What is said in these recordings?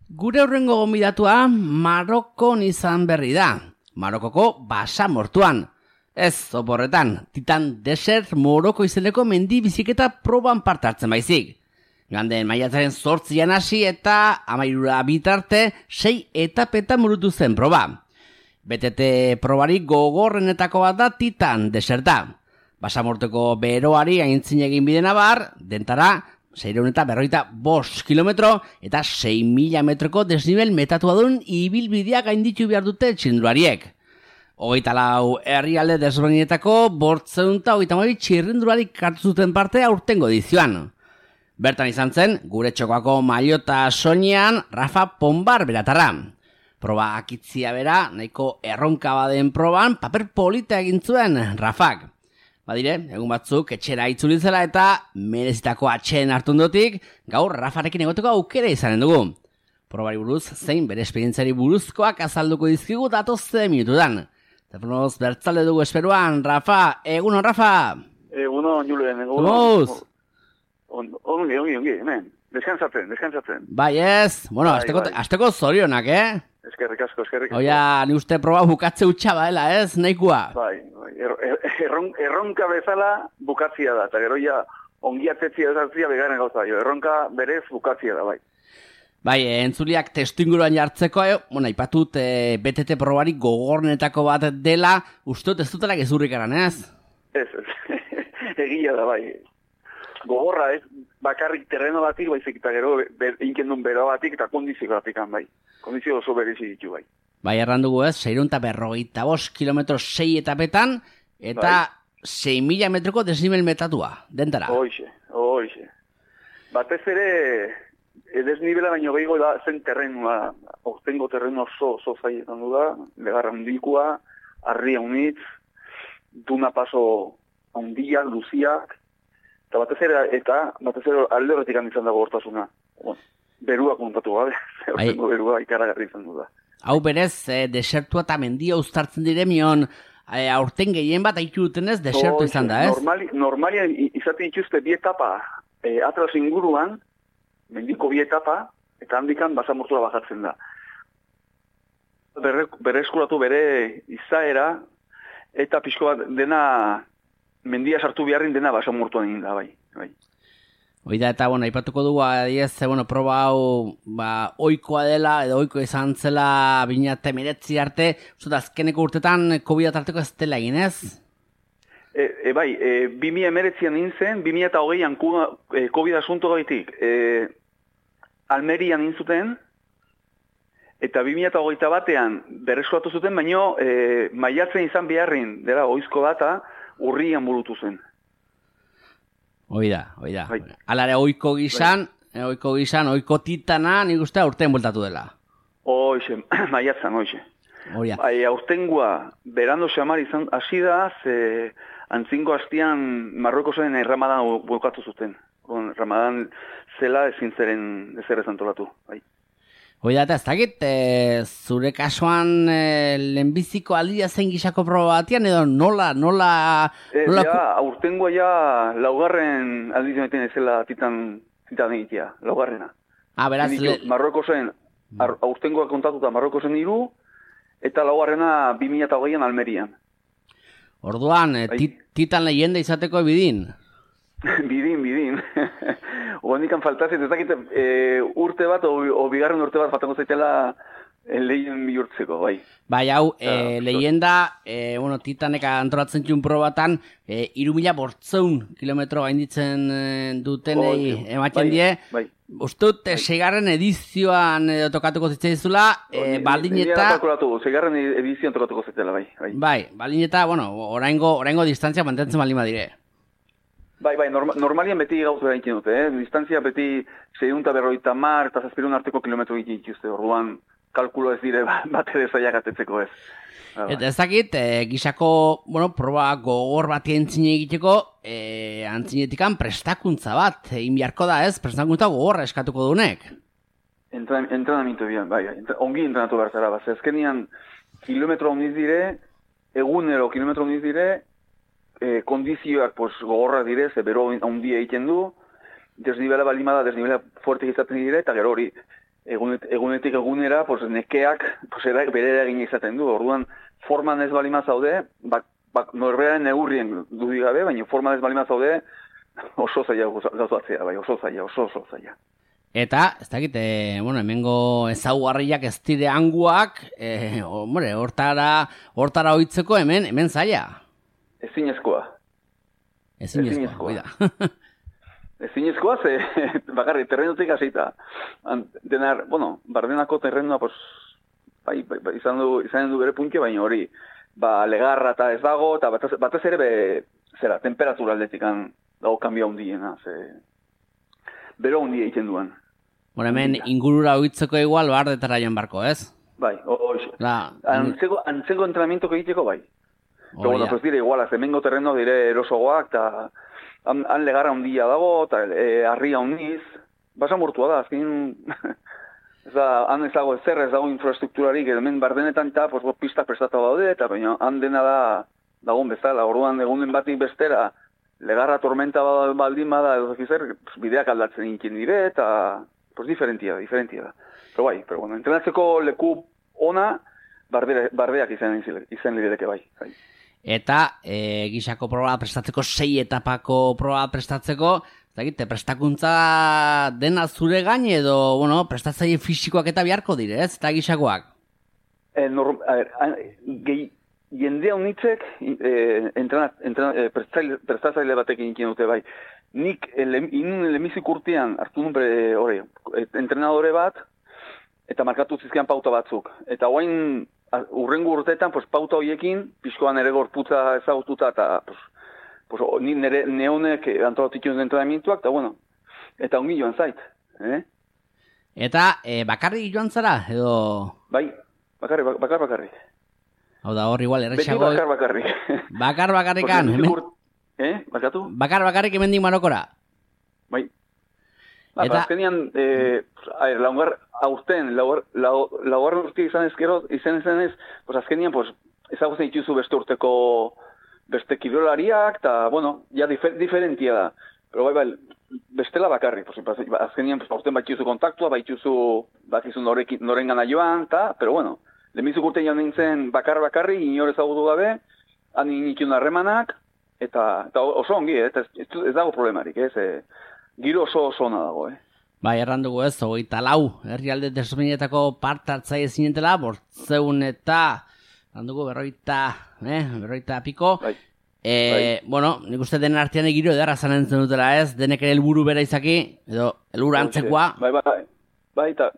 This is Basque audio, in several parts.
Gure hurrengo gonbidatua Marokon izan berri da. Marokoko basamortuan. Ez, oporretan, Titan Desert Moroko izeneko mendi biziketa proban parte hartzen baizik. Joan maiatzaren 8 hasi eta 13 bitarte 6 etapetan burutu zen proba. BTT probarik gogorrenetako bat da Titan Deserta. Basamorteko beroari aintzin egin bidena bar, dentara 655 kilometro eta 6.000 metroko desnivel metatua duen ibilbidea gainditu behar dute txirrindulariek. 24 herrialde desberdinetako 532 txirrindularik hartu zuten parte aurtengo edizioan. Bertan izan zen, gure txokoako Maiota soinean Rafa Ponbar beratarra. Proba akitzia bera, nahiko erronka baden proban, paper polita egin zuen Rafak. Badire, egun batzuk etxera itzulitzela eta merezitako atxeen hartun dotik, gaur Rafarekin egoteko aukera izanen dugu. Probari buruz, zein bere esperientziari buruzkoak azalduko dizkigu datoze minutudan. Telefonoz bertzalde dugu esperuan, Rafa, egunon, Rafa! Egunon, Julen, egunon. Zumuz! Ongi, hemen. Deskansatzen. Bai ez, bueno, asteko zorionak, Eskerrik asko. Oia, ni uste proba bukatze utxa baela, ez, nahikoa? Bai. Erronka bezala bukatzia da, eta gero ja ongi atetzia ezartzia begaren gauza. Erronka berez bukatzia da, bai. Bai, entzuliak testu inguruan jartzeko, ipatut BTT probarik gogornetako bat dela, uste ez dutela gezurrik eran, ez? Ez, egia da, bai. Gogorra ez, bakarrik terreno batik, baizik eta gero inkendun bero batik eta kondizio batik, bai. Kondizio oso berezi ditu, bai. Bai, errandugu ez, 655 kilometro 6 etapetan, eta bai. 6.000 metroko desnivel metatua, dentara. Hoixe. Batez ere, desnibela baino gehiago da zen terrenua, ortengo terrenua oso zaietan du da, legarra handikoa, harria unitz, duna paso handiak, luziak, eta batez ere alde horretik izan dago hortasuna. Berua kontatu gabe, ortengo berua ikaragarri izan du da. Hau berez, desertua eta mendia uztartzen diremion, aurten gehien bat haitu dutenez, desertu izan da, ez? Normalia izaten dituzte bi etapa, atlas inguruan, mendiko bi etapa, eta handikan basamortua bajatzen da. Berreskuratu bere izaera, eta pixko bat dena, mendia sartu beharrin dena basamortuan egin da, bai. Oida eta, ipatuko dugu, adiez, proba hau, oikoa dela, edo oiko izan zela 2019 arte, uste azkeneko urtetan COVID tarteko ez dela egin, ez? Bai, 2019an nintzen, 2020an COVID asunto gaitik, Almerian nintzuten, eta 2021 batean berreskuratu zuten, baino maiatzen izan beharrin, dela, oizko data, urrian burutu zen. Oida. Bai. Alare oiko gizan, oiko titana, nik uste aurten bueltatu dela. Oixe, maiatzen, oixe. Bai, aurtengoa, berando xamar izan, hasi da, ze antzinko hastian Marrokosen Ramadan bukatu zuten. Ramadan zela ezin zeren ezer ezantolatu, bai. Oida, eta ez dakit, zure kasuan lehenbiziko aldia zen gizako proba batian, edo nola... Aurtengoa ja laugarren aldiz egiten ezela titan egitea, laugarrena. Beraz... Marrokosen, aurtengoa kontatuta Marrokosen 3, eta laugarrena 2020an Almerian. Orduan, titan leyenda izateko bidin? Bidin. Oandikan faltazit, ez dakit urte bat, o bigarren urte bat faltango zaitela lehien bihurtzeko, bai. Bai, hau, leyenda, titanek antolatzen txun probatan, 3.400 kilometro gainditzen dutenei ematen die. Bai. Ustut, segarren edizioan tokatuko zitzaizula, baldin eta... Segarren edizioan tokatuko zitzaizula, bai. Bai, baldin eta, oraingo distantzia mantentzen baldin badire. Bai, normalian beti gauza egiten dute, distantzia beti 650 eta 700 arteko kilometro egiten dituzte, orduan kalkulo ez dire bat ere zaiak atetzeko ez. Eta ez dakit, gizako, proba gogor bat entzine egiteko, antzinetikan prestakuntza bat, inbiarko da ez, prestakuntza gogorra eskatuko dunek. Entrenamiento bian, bai, ongi entrenatu behar zara, ezkenian kilometro ondiz dire, egunero kilometro ondiz dire, kondizioak gogorrak dire, ze bero handia egiten du, desnibela balimada, desnibela fuerte izaten dire, eta gero hori egunetik egunera, pues, nekeak bere eragina izaten du. Orduan, forman ez balima zaude, norberaren neurrien dudik gabe, baina forman ez balima zaude, oso zaila gauzatzea, bai, oso zaila. Eta, ez dakit, hemengo ezaugarriak ez dire hanguak, hortara oitzeko hemen zaila. Ezinezkoa, oida. Ezinezkoa, bakarri, terrenotik hasita. Bardenako terrenoa, pues, izan du bere punke, baina hori, legarra eta ez dago, eta batez ere, temperatura aldetikan dago kanbia hundiena, bero hundia egiten duan. Hemen ingurura oitzeko igual, bardetara joan barko, ez? Bai, hoxe. Antzeko entrenamiento egiteko, bai. Pero pues dire igual, hemengo terreno dire erosogoak, eta han legarra hundia dago, eta harria hundiz, basa mortua da, azkin, han ez dago ezer, ez dago infrastrukturarik, hemen bardenetan eta pistak prestatu daude, eta baina han dena dagoen bezala, orduan egunen batik bestera, legarra tormenta baldin bada, edo zekizer, bideak aldatzen inkin dire, eta diferentia da. Pero bueno, entrenatzeko leku ona, bardeak izan lidereke bai. Eta gixako proba prestatzeko, 6 etapako proba prestatzeko, prestakuntza dena zure gain edo, prestatzaile fisikoak eta beharko dire, ez? Eta gixakoak? Jendea unitzek prestatzaile batekin ikin dute bai. Nik inun lemizik urtean hartu nun entrenadore bat, eta markatu zizkian pauta batzuk. Eta guain urrengo urteetan, pauta horiekin, pixkoan ere gorputza ezagututa, eta ni neonek antolatik joan entrenamientuak, eta ongi joan zait. Eta bakarrik joan zara, edo? Bai, bakarrik. Hau da hor igual, errexago. Beti bakarrik. Bakarrikan. Bakatu? Bakarrik hemendik Marokora. Bai. Eta azkenian, laugarren urte izan ez, azkenian, ezagutzen dituzu beste urteko beste kirolariak, eta, ja diferentia da. Pero bai, bestela bakarri. Azkenian, urten baituzu kontaktua, bakizu noren gana joan, pero, lemizuk urte joan nintzen bakarri, inor ezagutu gabe, han initun harremanak, eta oso ongi, ez dago problemarik, giro oso ona dago, Bai, errandugu ez, 24 herrialde desberdinetako parte hartzaile zinetela, 800 eta errandugu 40 piko. Bai. Nik uste denen artean giro edarra zanentzen dutela ez, denek ere helburu bera izaki, edo helburu antzekoa. Bai, eta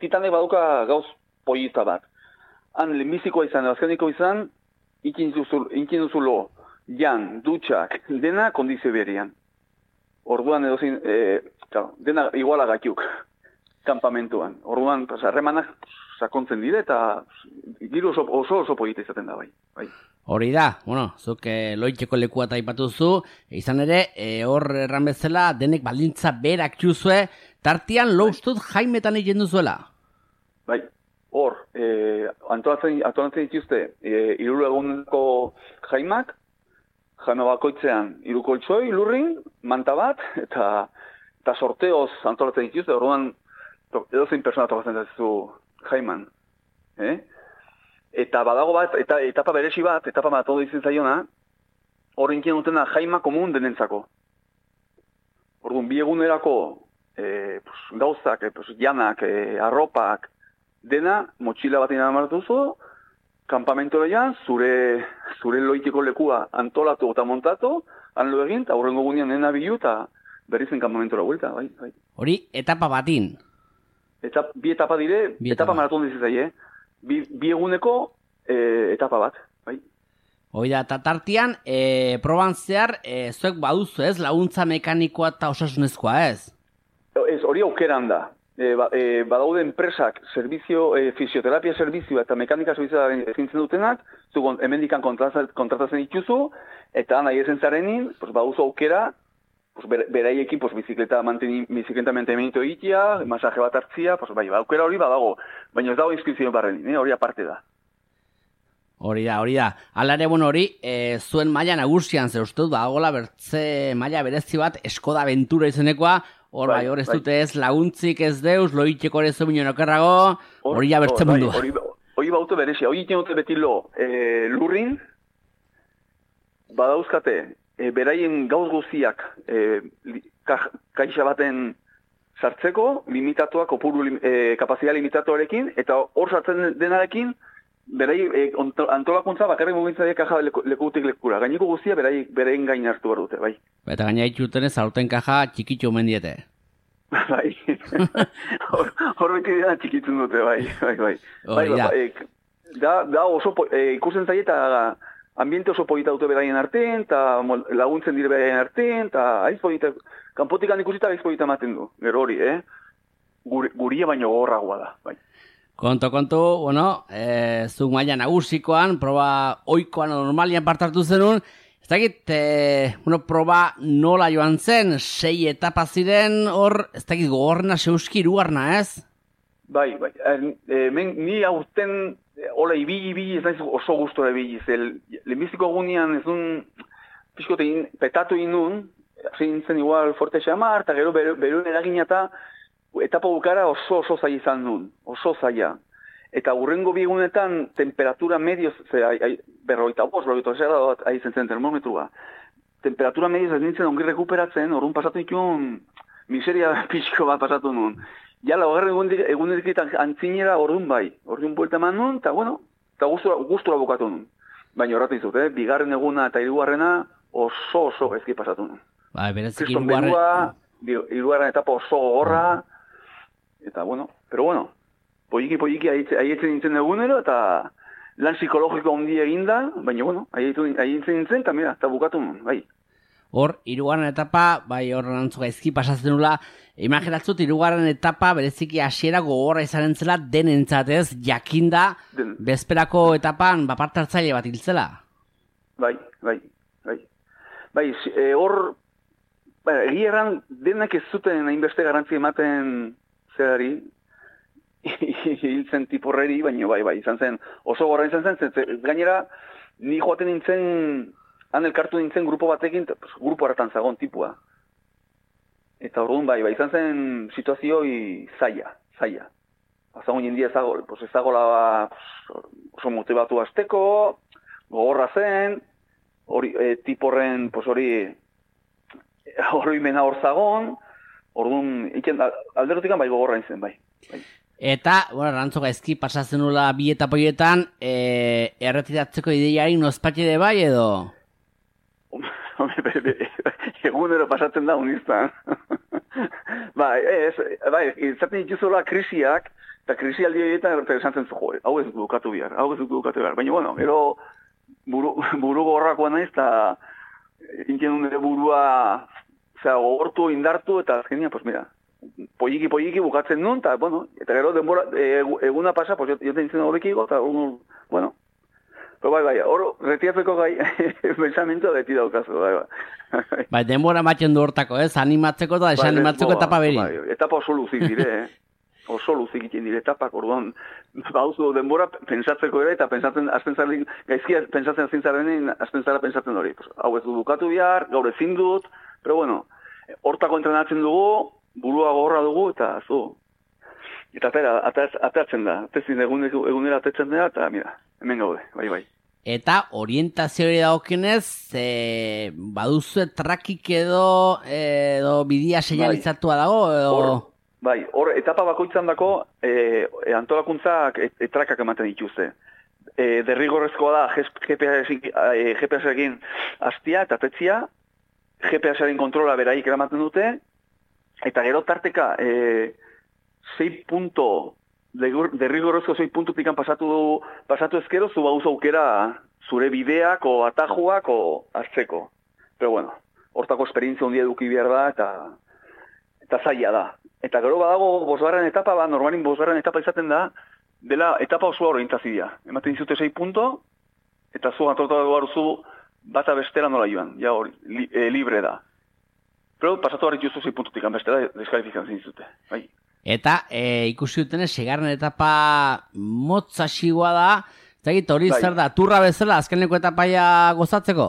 titanek baduka gauz pollita bat. Han lehenbizikoa izan, azkeniko izan, ikin duzulo, jan, dutxak, dena kondizio berian. Orduan edozin, dena iguala gatiuk, kampamentuan. Orduan, harremanak sakontzen dire, eta giro oso polita izaten da, bai. Hori da, zuk loiteko lekua taipatu zu, izan ere, hor erran bezala, denek baldintza berak juzue, tartian loustut jaimetan egin duzuela. Bai, hor, antolatzen dituzte, 3 eguneko jaimak, jaime bakoitzean 3 koltsoi, lurrin, manta bat, eta sorteoz antolatzen dituzte, orduan edozein persona tokatzen dituzu jaiman. Eta badago bat, etapa beresi bat, etapa bat ondo izan zaiona, horren kien dutena jaima komun denentzako. Orduan, 2 egunerako gauzak, janak, arropak, dena, motxila bat inamartu zu, kampamentu lehian, zure loiteko lekua antolatu eta montatu, han lo egin, eta horrengo gunean nena bilu, eta berrizen kampamentura vuelta, bai. Hori, etapa batin? Bi etapa dire, etapa maraton dizizai, 2 eguneko etapa bat, bai. Oida, eta tartian, proban zehar, zuek baduzu ez, laguntza mekanikoa eta osasunezkoa ez? Ez, hori aukeran da. Badaude enpresak, fisioterapia servizioa eta mekanika servizioa egintzen dutenak, hemendikan kontratatzen dituzu, eta nahi ezen zarenin, baduzu aukera, beraiekin bizikleta mantenimiento egitea, masaje bat hartzia, aukera hori badago, baina ez dago inskripzio barrenin, hori aparte da. Hori da. Alare, hori, zuen maila nagusian, zer uste dut, badagoela bertze maila berezi bat, Skoda Aventura izenekoa, Hor hor ez dute ez laguntzik ez deus, loitxeko ere zomino nokerrago, hori ja bertzen mundu. Hori baute berezia, hori iten dute beti lurrin, badauzkate, beraien gauz guziak kaixa baten sartzeko, limitatuak, kapazidad limitatuarekin, eta hor sartzen denarekin, berai antolakuntza bakarrik mugitzaiek kaja lekutik lekura. Gaineko guztia beraien gain hartu behar dute, bai. Eta gaina itxuten ez aurten kaja txikitxo omen diete. Bai. Hor beti dena txikitzen dute, bai. Da oso ikusten zaie eta ambiente oso polita dute beraien artean, eta laguntzen dire beraien artean, eta aiz polita, kanpotikan ikusita aiz polita ematen du, gero hori, guria baino gogorragoa da, bai. Konto, bueno, zuk maila nagusikoan, proba oikoan normalian partartu zenun, ez dakit, proba nola joan zen, 6 etapa ziren, hor, ez dakit gogorrena zeuski irugarna, ez? Bai, ni aurten, hola, ibili, ez naiz oso gustora ibili, lehenbiziko egunean ez duen, pixkote petatu inun, zein zen igual forte xamar, eta gero beruen eragina etapa bukara oso zaila izan duen, oso zaila. Eta hurrengo bigunetan temperatura medio, berroita aizen zen termometrua. Temperatura medio ez nintzen ongi rekuperatzen, orduan pasatu dituen miseria pixko bat pasatu nuen. Ja, laugarren egunetik antzinera orduan bai. Orduan buelta eman nuen, eta bueno, eta gustura bukatu nuen. Baina horretu izut, bigarren eguna eta hirugarrena oso ezki pasatu nuen. Bai, berezik hirugarren etapa oso gogorra, eta bueno, pero bueno, poiki aietzen nintzen egunero, eta lan psikologiko ondi eginda, baina bueno, aietzen nintzen, eta mira, eta bukatu nuen, bai. Hor, hirugarren etapa, bai hor nantzuka ezki pasatzen nula, imaginatzut hirugarren etapa bereziki hasiera gogorra izanen zela denentzatez, jakinda bezperako etapan parte hartzaile bat hiltzela. Bai, hor, egia erran denak ez zuten hainbeste garrantzi ematen zerari, hiltzen tiporreri, baina bai, izan zen, oso gorra izan zen, gainera, ni joaten nintzen, han elkartu nintzen grupo batekin, grupo hartan zagon tipua. Eta orduan bai, izan zen situazioi zaila. Azagun jendia ezagola oso motibatu azteko, gogorra zen, tiporren hori mena hor zagon, orduan, alderotikan bai gogorra nintzen, bai. Eta, bueno, rantzoka ezki pasatzen nula bi etapoietan, erretiratzeko ideiari nozpatxe bai edo? Egunero pasatzen da uniztan. Izaten dituzola krisiak, eta krisialdi horietan esan zen zu, hau ez dukatu behar. Baina, bueno, gero buru gorrakoa naiz, eta intien nire burua gogortu, indartu, eta azkenia, pues mira, polliki bukatzen nun, eta, bueno, eta gero denbora, eguna pasa, pues jo nintzen horrekigo, eta, bueno, pero bai, hor, retiratzeko gai, pensamiento beti daukazu, bai. Bai, denbora batzen du hortako, animatzeko eta desanimatzeko etapa beri. Bai, etapa oso luzik dire, oso luzik iten dire etapak, orduan, bauzu denbora pensatzeko ere, eta azten zaren, gaizkia pensatzen azten zaren, azten zara pensatzen hori. Hau ez du dukatu bihar, gaur ezin dut, pero bueno, hortako entrenatzen dugu, burua gorra dugu, eta zu. Eta atatzen da, egunera atatzen da, eta mira, hemen gaude, bai. Eta orientazio hori dagokinez, baduzu trakik edo bidia seinalizatua dago? Bai, hor etapa bakoitzan dako antolakuntzak etrakak ematen dituzte. Derrigorrezkoa da GPS-ekin hastia eta tetzia, GPS-aren kontrola beraik eramaten dute, eta gero tarteka 6 punto, derrigorrezko 6 puntutik pasatu ezkero, zu bauzu aukera zure bideak o atajuak o hartzeko. Pero bueno, hortako esperientzia ondia eduki behar da, eta zaila da. Eta gero badago bosgarren etapa, normalin bosgarren etapa izaten da, dela etapa osoa orientazioa. Ematen dizute 6 punto, eta zu antolatu baruzu bata bestera nola joan, ja hori, libre da. Pero pasatu harri justu 6 puntutik, bestera deskalifikazioan dizute, bai. Eta ikusi dutenez, segarren etapa motzaxigua da, zagit hori zer da, turra bezala azkeneko etapaia gozatzeko?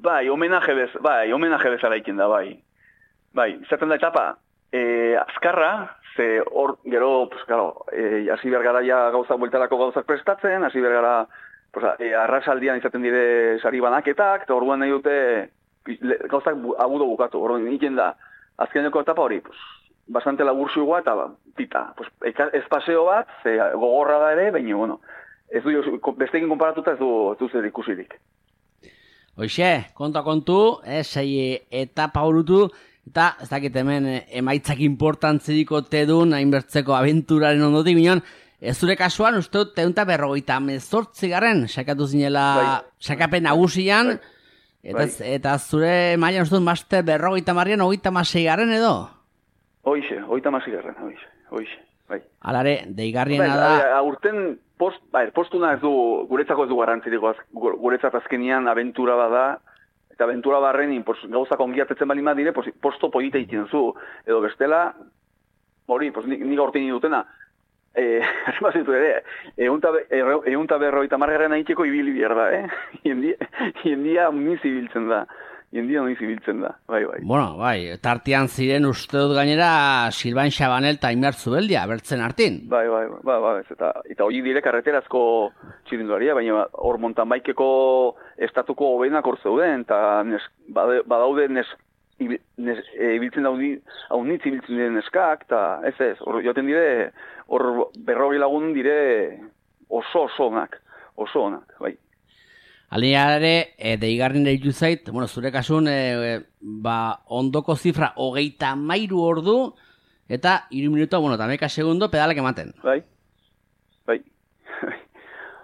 Bai, homenaje bezala iken da, bai. Bai, izaten da etapa, azkarra, ze hor, gero, pues, claro, hasi behar gara ja bueltarako gauzak prestatzen, hasi behar gara, pues, arrasaldian izaten dire sari banaketak, eta orduan nahi dute gauzak agudo bukatu. Orduan egiten da, azkeneko etapa hori, pues, bastante laburxua eta pita. Pues, ez paseo bat, ze gogorra da ere, baina, bueno, ez du, bestekin konparatuta ez du zer ikusirik. Hoxe, kontu, sei etapa horutu, eta ez dakit hemen emaitzak importantziriko tedun, hainbertzeko abenturaren ondotik, bineon, ez zure kasuan, uste dut, 158 garren, sakatu zinela, sakapen nagusian, eta zure mailan uste dut, master 56 garren edo? Hoixe, 56 garren, hoixe, bai. Alare, deigarriena da... Aurten, postuna ez du, guretzako ez du garrantziriko, guretzat azkenian abentura bada, eta abentura barren gauzak ongiatetzen bali madire, posto polita egiten zu, edo bestela, hori, nik aurten dutena, armazitu ere, eunta berroita margarren egiteko ibili behar da, jendia uniz ibiltzen da. Bai. Bueno, bai, tartean ziren uste dut gainera Silban Xabanel eta Imer Zubeldia, bertzen hartin. Bai, eta hori dire karreterazko txirinduaria, baina hor montanbaikeko estatuko hobenak hor zeuden, eta badaude ibiltzen haunitz ibiltzen diren neskak, eta ez, hor joten dire, hor 40 lagun dire oso onak, bai. Alineare, deigarrin deitu zait, bueno, zure kasun, ondoko zifra 33 ordu, eta 3 minuto, bueno, eta 11 segundo pedalak ematen. Bai.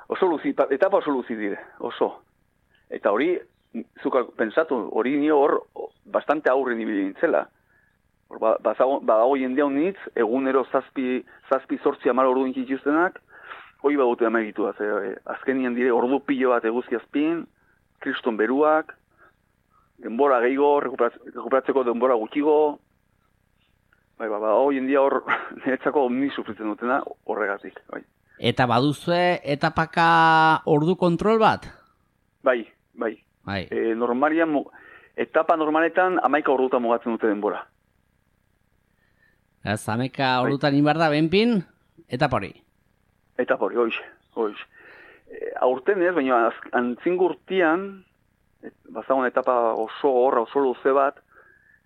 Etapa oso luzi dire, oso. Eta hori, zuka pensatu, hori nio hor bastante aurren ibili nintzela. Badago jendea honitz, egunero zazpi 8 ordu intxituztenak, hoi badute amaitu da, azkenian dire ordu pilo bat eguzki azpin, kriston beruak, denbora gehiago, rekuperatzeko denbora gutxigo, hoien dia hor niretzako omni sufritzen dutena horregatik. Bai. Eta baduzue etapaka ordu kontrol bat? Bai. Etapa normaletan 11 ordutan mugatzen dute denbora. Ez, 11 ordutan inbar da benpin, etapa hori? Etapa hori, hoiz. Aurten ez, baina antzingurtian, bazagon etapa oso luze bat,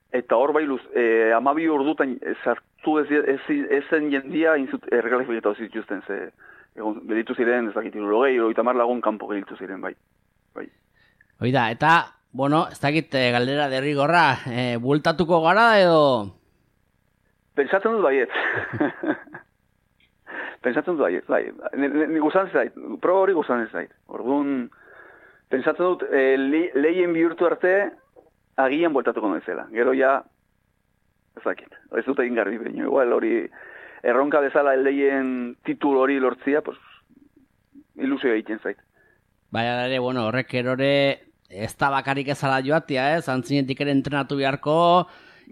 eta hor bai 12 ordutan sartu ezen jendia erregalifiketatu zituzten, gelditu ziren, ez dakit, 30 lagun kanpo gelditu ziren, bai. Oida, eta, bueno, ez dakit galdera derrigorra, bueltatuko gara edo... Pentsatzen dut baiet. Bai. Ni guzan zait, proba hori guzan zait. Orduan, pentsatzen dut, lehien bihurtu arte, agian bueltatuko noizela. Gero ja, ez dut egin garbi baino. Igual hori, erronka bezala lehien titul hori lortzia, pues, ilusio egiten zait. Baina ere, bueno, horrek erore, ez da bakarik ezala joatia, zantzinetik ere entrenatu beharko,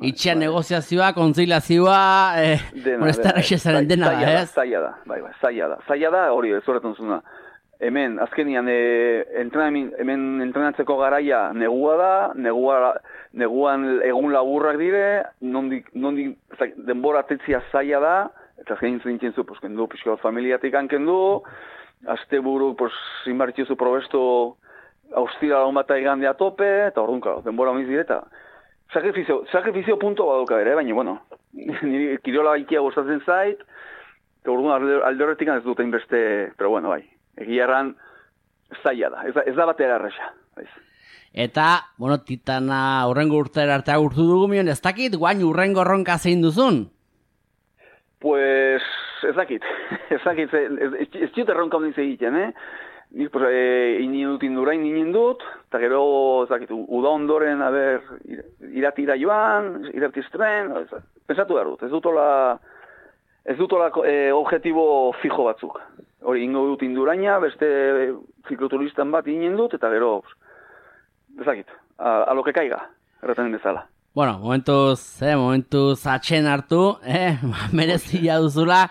itxean negoziazioa, konzilazioa, ez da errexezaren dena da, ez? Zaila da, hori, ez horretan zuna. Hemen, azkenian, hemen entrenatzeko garaia negua da, neguan egun laburrak dire, nondik denbora tetzia zaila da, eta azkenin zintzen zu, kendu, pixko bat familiatik ankendu, azte buru, inbartio zu probesto, austira lagun bat egandea tope, eta orduan, denbora honiz direta. Sakrifizio punto baduka ere, baina, bueno, niri kirola ikia gustatzen zait, eta orduan alde horretik ez dute inbeste, pero bueno, bai, egia erran zaila da, ez da batera erresa. Eta, bueno, Titana urrengo urtera arte agurtu dugu mion, ez dakit, guain urrengo erronka zein duzun? Pues, ez dakit, ez dut erronka honin egiten, Nik, inin dut indurain inin dut, eta gero, uda ondoren, iratira joan, iratiztren, pensatu behar dut, ez dutola objetibo fijo batzuk. Hori, ingo dut induraina, beste zikloturistan bat inen dut, eta gero, a lo que caiga, erraten bezala. Bueno, momentuz atxen hartu, merezia duzula.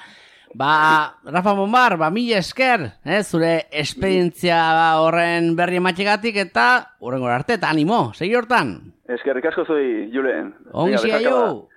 Rafa Bonbar, mila esker, zure esperientzia horren berri ematxegatik eta hurrengora arte, eta animo, segi hortan. Eskerrik asko zoi, Julen. Ongi aio.